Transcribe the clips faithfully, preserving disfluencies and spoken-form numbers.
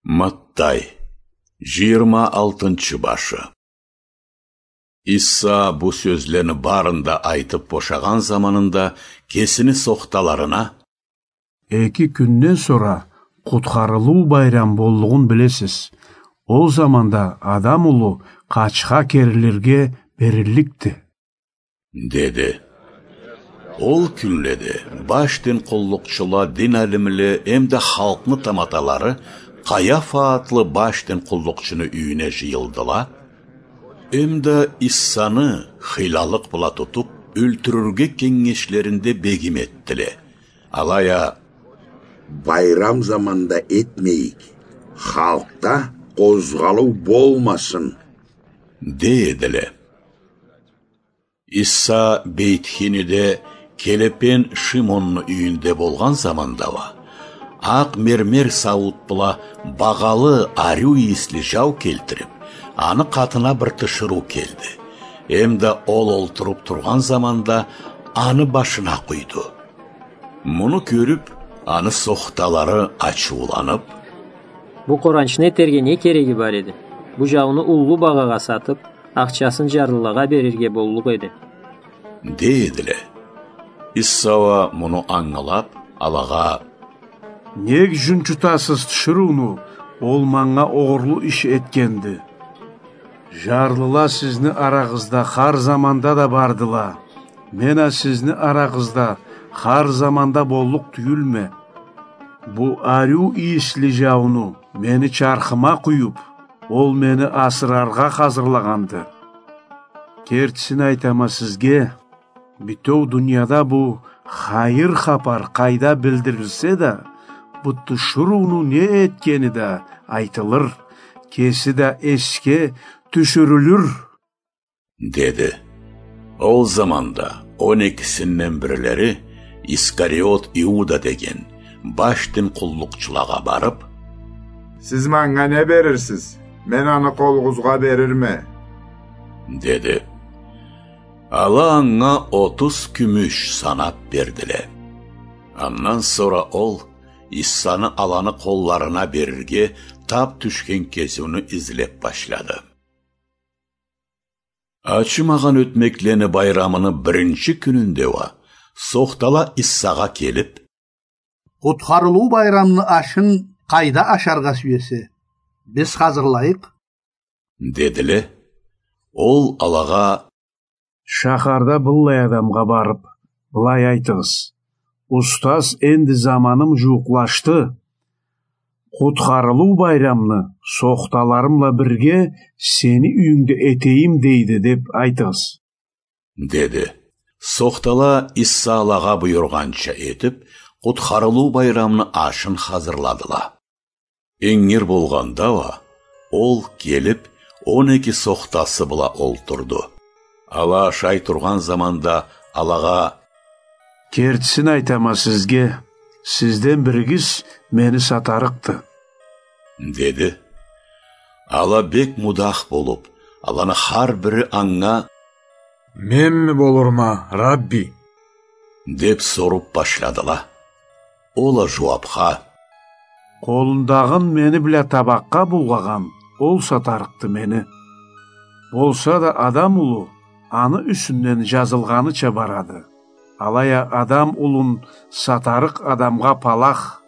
Маттай, жыйырма алтынчы башы. Иса бу сёзлени барын да айтып бошагъан заманында кесини сохталарына: «Эки кюнден сора Къутхарылыу байрам боллугъун билесиз. Ол заманда Адам улу къачха керилирге берилликди», — деди. Ол кюнледе баш дин къуллукъчула, дин алимле эмда халкъны таматалары Къаяфа атлы баш дин къуллукъчуну юйюне жыйылдыла, эмда Исаны хыйлалыкъ бла тутуп, ёлтюрюрге кенгешлеринде бегим этдиле. Алай а: «Байрам заманда этмейик, халкъда къозгъалыу болмасын», — дей эдиле. Иса Бейтхиниде келепен Шимонну юйюнде болгъан заманда уа, акъ мермер сауут бла багъалы, ариу ийисли жау келтирип, аны къатына бир тиширыу келди. Эмда ол олтуруп тургъан заманда аны башына къуйду. Муну кёрюп, аны сохталары ачыуланып: «Бу къоранчны этерге не кереги бар эди? Бу жауну уллу багъагъа сатып, ахчасын жарлылагъа берирге боллукъ эди», — дей эдиле. Иса уа муну ангылап, алагъа: «Нек жунчутасыз тиширыуну? Ол манга огъурлу иш этгенди. Жарлыла сизни арагъызда хар заманда да бардыла. Мен а сизни арагъызда хар заманда боллукъ тюйюлме. Бу ариу ийисли жауну мени чархыма къуюп, ол мени асыраргъа хазырлагъанды. Кертисин айтама сизге, бютеу дунияда бу хайыр хапар къайда билдирилсе да, бу тиширыуну не этгени да айтылыр, кеси да эсге тюшюрюлюр», — деди. Ол заманда он экисинден бирлери, Искариот Иуда деген, баш дин къуллукъчулагъа барып: «Сиз манга не берирсиз? Мен аны къолугъузгъа берирме», — деди. Ала анга отуз кюмюш санап бердиле. Андан сора ол Исаны аланы къолларына берирге тап тюшген кесиуну излеп башлады. Ачымагъан ётмеклени байрамыны биринчи кюнюнде уа сохтала Исагъа келип: «Къутхарылыу байрамны ашын къайда ашаргъа сюесе, биз хазырлайыкъ?» — дедиле. Ол алагъа: «Шахарда быллай адамгъа барып, былай айтыгъыз: „Устаз, энди заманым жууукълашды. Къутхарылыу байрамны сохталарым бла бирге сени юйюнгде этейим дейди“, — деп айтыгъыз», — деди. Сохтала Иса алагъа буюргъанча этип, Къутхарылыу байрамны ашын хазырладыла. Ингир болгъанда уа, ол келип, он эки сохтасы бла олтурду. Ала ашай тургъан заманда алагъа: «Кертисин айтама сизге, сизден биригиз мени сатарыкъды», — деди. Ала бек мудах болуп, аланы хар бири анга: «Менми болурма, Рабби?» — деп соруп башладыла. Ол а жууапха: «Къолундагъын мени бла табакъгъа булгъагъан, ол сатарыкъды мени. Болса да Адам улу аны юсюнден жазылгъаныча барады. Алай а Адам улун сатарыкъ адамгъа палах,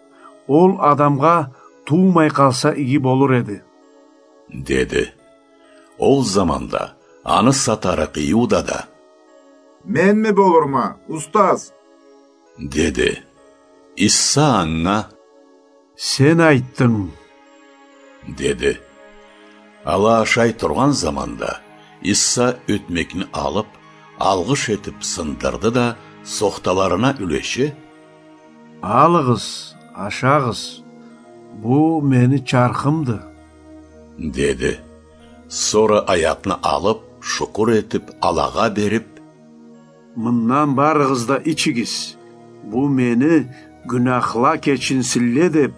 ол адамгъа туумай къалса иги болур эди», — деди. Ол заманда аны сатарыкъ Иуда да: «Менми болурма, устаз?» — деди. Иса анга: «Сен айтдынг», — деди. Ала ашай тургъан заманда Иса ётмекни алып, алгъыш этип сындырды да, сохталарына юлеше: «Алыгъыз, ашагъыз, бу мени чархымды», — деди. Сора аякъны алып, шукур этип, алагъа берип: «Мындан барыгъыз да ичигиз. Бу мени, гюнахла кечинсинле деп,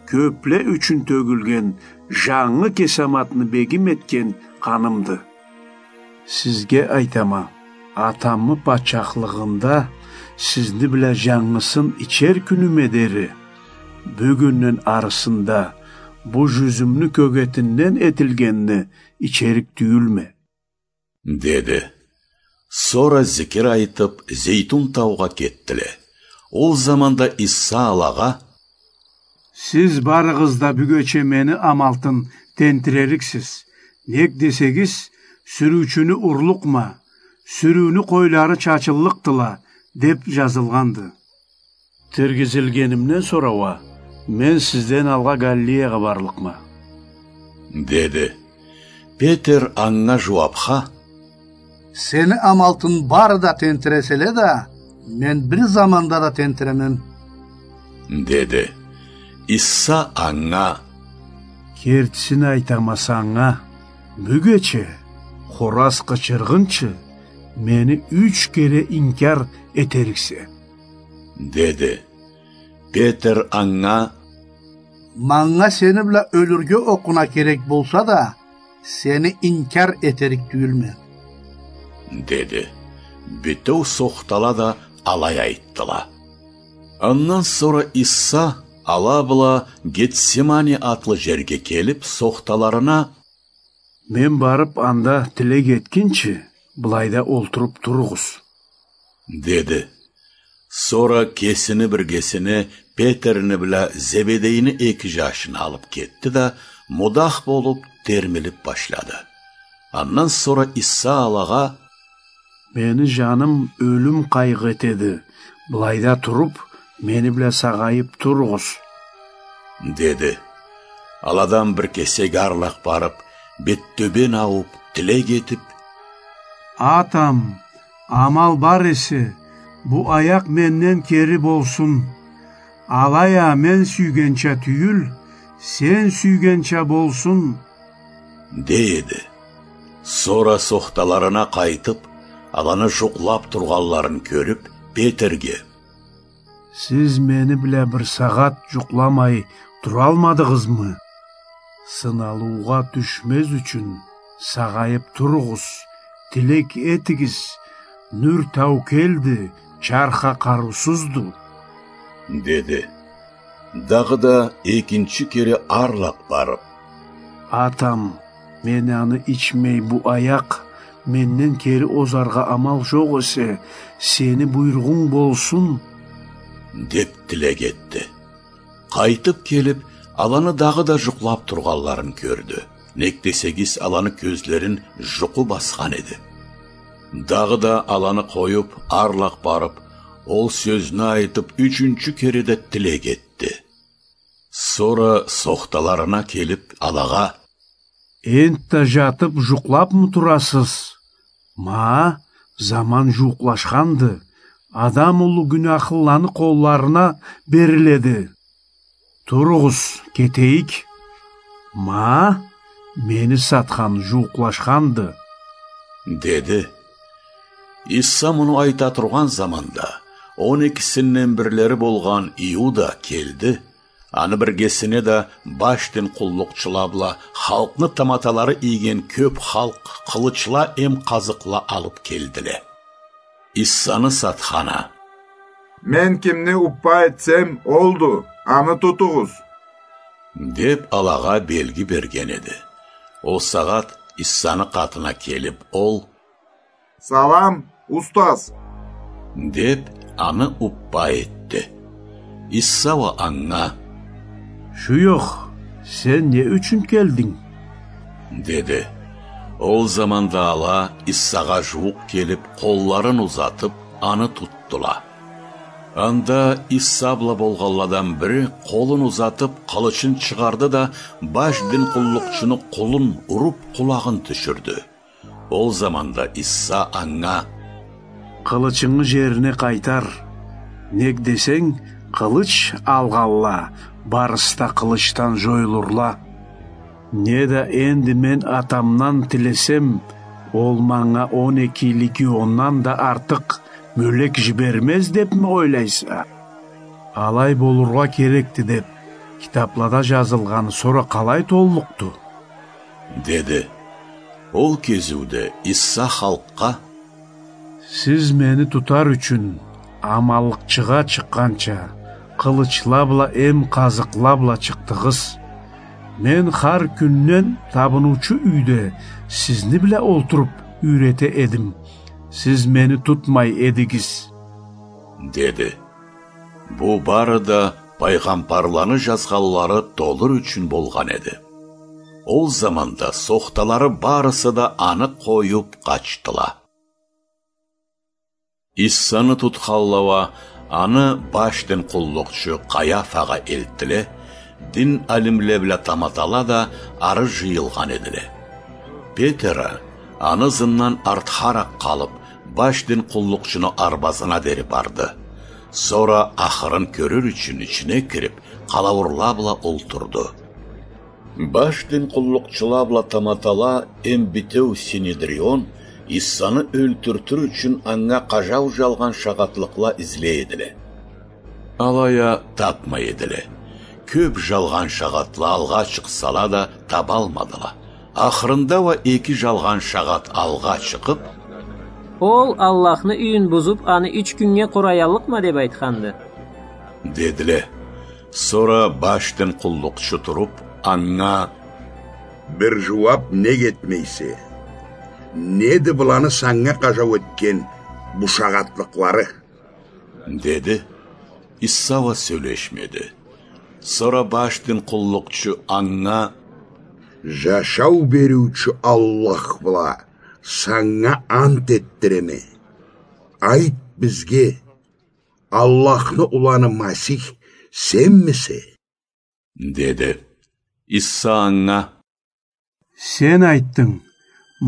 кёпле ючюн тёгюлген, жангы кесаматны бегим этген къанымды. Сизге айтама, Атамы патчахлыгъында сизни бла жангысын ичер кюнюме дери, бюгюнден арысында бу жюзюмню кёгетинден этилгенни ичерик тюйюлме», — деди. Сора зикир айтып, Зейтун таугъа кетдиле. Ол заманда Иса алагъа: «Сиз барыгъыз да бюгече мени амалтын тентирериксиз. Нек десегиз, сюрюучюню урлукъма, сюрюуню къойлары чачыллыкъдыла, деп жазылгъанды. Тиргизилгенимден сора уа мен сизден алгъа Галилеягъа барлыкъма», — деди. Петер анга жууапха: «Сени амалтын бары да тентиреселе да, мен бир заманда да тентиремен», — деди. Иса анга: «Кертисин айтама санга, бюгече, хораз къычыргъынчы, мени юч кере инкяр этериксе», — деди. Петер анга: «Манга сени бла ёлюрге окъуна керек болса да, сени инкяр этерик тюйюлме», — деди. Бютеу сохтала да алай айтдыла. Андан сора Иса ала бла Гетсемани атлы жерге келип, сохталарына: «Мен барып анда тилек этгинчи, былайда олтуруп туругъуз», — деди. Сора кесини биргесине Петерни бла Зебедейни эки жашын алып кетди да, мудах болуп, термилип башлады. Андан сора Иса алагъа: «Мени жаным ёлюм къайгъы этеди, былайда туруп, мени бла сагъайып туругъуз», — деди. Аладан бир кесек арлакъ барып, бет тёбен аууп, тилек этип: «Атам, амал бар эсе, бу аякъ менден кери болсун. Алай а мен сюйгенча тюйюл, сен сюйгенча болсун», — дей эди. Сора сохталарына къайтып, аланы жукълап тургъанларын кёрюп, Петерге: «Сиз мени бла бир сагъат жукъламай туралмадыгъызмы? Сыналыугъа тюшмез ючюн, сагъайып туругъуз, тилек этигиз, нюр таукелди, чарх а къарыусузду», — деди. Дагъыда экинчи кере арлакъ барып: «Атам, мен аны ичмей, бу аякъ менден кери озаргъа амал жокъ эсе, сени буйругъунг болсун», — деп тилек этди. Къайтып келип, аланы дагъыда жукълап тургъанларын кёрдю. Нек десегиз, аланы кёзлерин жукъу басхан эди. Дагъыда аланы къоюп, арлакъ барып, ол сёзню айтып, ючюнчю кере да тилек этди. Сора сохталарына келип, алагъа: «Энтда жатып жукълапмы турасыз? Ма, заман жууукълашханды, Адам улу гюнахлыланы къолларына бериледи. Туругъуз, кетейик. Ма, мени сатхан жууукълашханды», — деди. Иса муну айта тургъан заманда, он экисинден бирлери болгъан Иуда келди, аны биргесине да баш дин къуллукъчула бла халкъны таматалары ийген кёп халкъ къылычла эм къазыкъла алып келдиле. Исаны сатхана: «Мен кимни уппа этсем, олду, аны тутугъуз», — деп, алагъа белги берген эди. Ол сагъат Исаны къатына келип, ол: «Салам, устаз!» — деп, аны уппа этди. Иса уа анга: «Шуёхъ, сен не ючюн келдинг?» — деди. Ол заманда ала Исагъа жууукъ келип, къолларын узатып, аны тутдула. Анда Иса бла болгъанладан бири къолун узатып, къылычын чыгъарды да, баш дин къуллукъчуну къулун уруп, къулагъын тюшюрдю. Ол заманда Иса анга: «Къылычынгы жерине къайтар. Нек десенг, къылыч алгъанла барысы да къылычдан жоюлурла. Неда энди мен Атамдан тилесем, ол манга он эки легиондан да артыкъ мёлек жибермез депми ойлайса? Алай болургъа керекди деп, китаплада жазылгъаны сора къалай толлукъду?» — деди. Ол кезиуде Иса халкъгъа: «Сиз мени тутар ючюн, аманлыкъчыгъа чыкъгъанча, къылычла бла эм къазыкъла бла чыкъдыгъыз. «Мен хар кюнден табыныучу юйде сизни бла олтуруп юйрете эдим. Сиз мени тутмай эдигиз», — деди. Бу бары да пайгъамбарланы жазгъанлары толур ючюн болгъан эди. Ол заманда сохталары барысы да аны къоюп къачдыла. Иссаны тутханла уа аны баш дин къуллукъчу Къаяфагъа элтдиле, дин алимле бла таматала да ары жыйылгъан эдиле. Петер а аны ызындан артхаракъ къалып, баш дин къуллукъчуну арбазына дери барды. Сора ахырын кёрюр ючюн ичине кирип, къалаурла бла олтурду. Баш дин къуллукъчула бла таматала эм битеу Синедрион Иссаны ёлтюртюр ючюн анга къажау жалгъан шагъатлыкъла излей эдиле. Алай а тапмай эдиле. Кёп жалгъан шагъатла алгъа чыкъсала да, табалмадыла. Ахырында уа эки жалгъан шагъат алгъа чыкъып: «Ол Аллахны юйюн бузуп, аны юч кюннге къураяллыкъма деп айтханды», — дедиле. Сора баш дин къуллукъчу туруп, анга: «Бир жууап нек этмейсе? Неди быланы санга къажау этген бу шагъатлыкълары?» — деди. Исса уа сёлешмеди. Сора баш дин къуллукъчу анга: «Жашау бериучю Аллах бла санга ант этдиреме. Айт бизге, Аллахны уланы Масих сенмисе?» — деди. Исса анга: «Сен айтдынг.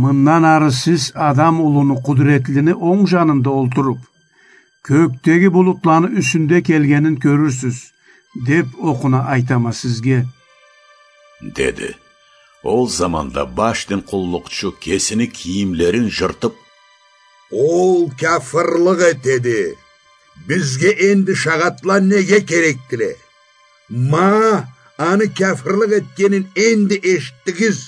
Мындан ары сиз Адам улуну, Къудретлини онг жанында олтуруп, кёкдеги булутланы юсюнде келгенин кёрюрсюз, деп окъуна айтама сизге», — деди. Ол заманда баш дин къуллукъчу кесини кийимлерин жыртып: «Ол кяфырлыкъ этеди. Бизге энди шагъатла неге керекдиле? Ма, аны кяфырлыкъ этгенин энди эшитдигиз.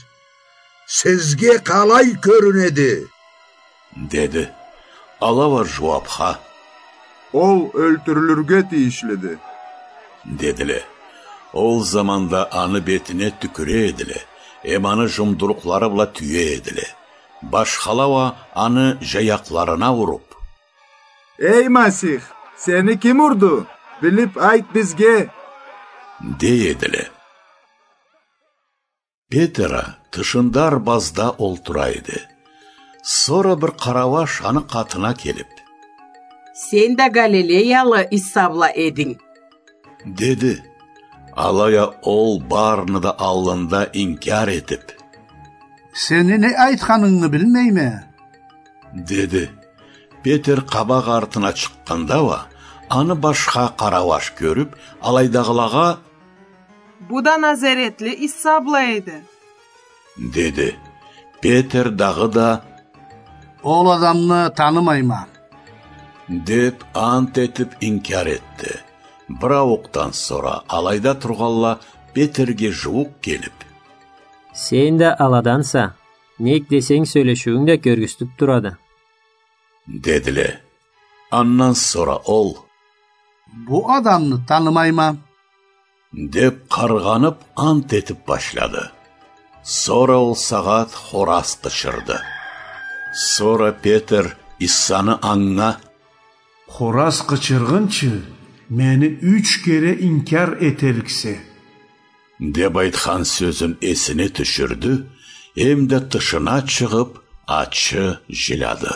Сизге къалай кёрюнеди?» — деди. Ала уа жууапха: «Ол ёлтюрюлюрге тийишлиди», — дедиле. Ол заманда аны бетине тюкюре эдиле, эм аны жумдурукълары бла тюе эдиле. Башхала уа аны жаякъларына уруп: «Эй Масих, сени ким урду? Билип айт бизге», — дей эдиле. Петер а тышында арбазда олтура эди. Сора бир къарауаш аны къатына келип: «Сен да Галилеялы Иса бла эдинг», — деди. Алай а ол барыны да аллында инкяр этип: «Сени не айтханынгы билмейме», — деди. Петер къабакъ артына чыкъгъанда уа, аны башха къарауаш кёрюп, алайдагъылагъа: «Бу да назаретли Иса бла эди», — деди. Петер дагъыда: «Ол адамны танымайма», — деп ант этип инкяр этди. Бир ауукъдан сора алайда тургъанла Петерге жууукъ келип: «Сен да аладанса, нек десенг, сёлешиуюнг да кёргюзтюп турады», — дедиле. Андан сора ол: «Бу адамны танымайма», — деп къаргъанып ант этип башлады. Сора ол сагъат хораз къычырды. Сора Петер Исаны анга: «Хораз къычыргъынчы мени юч кере инкяр этериксе», — деп айтхан сёзюн эсине тюшюрдю, эм да тышына чыгъып, ачы жиляды.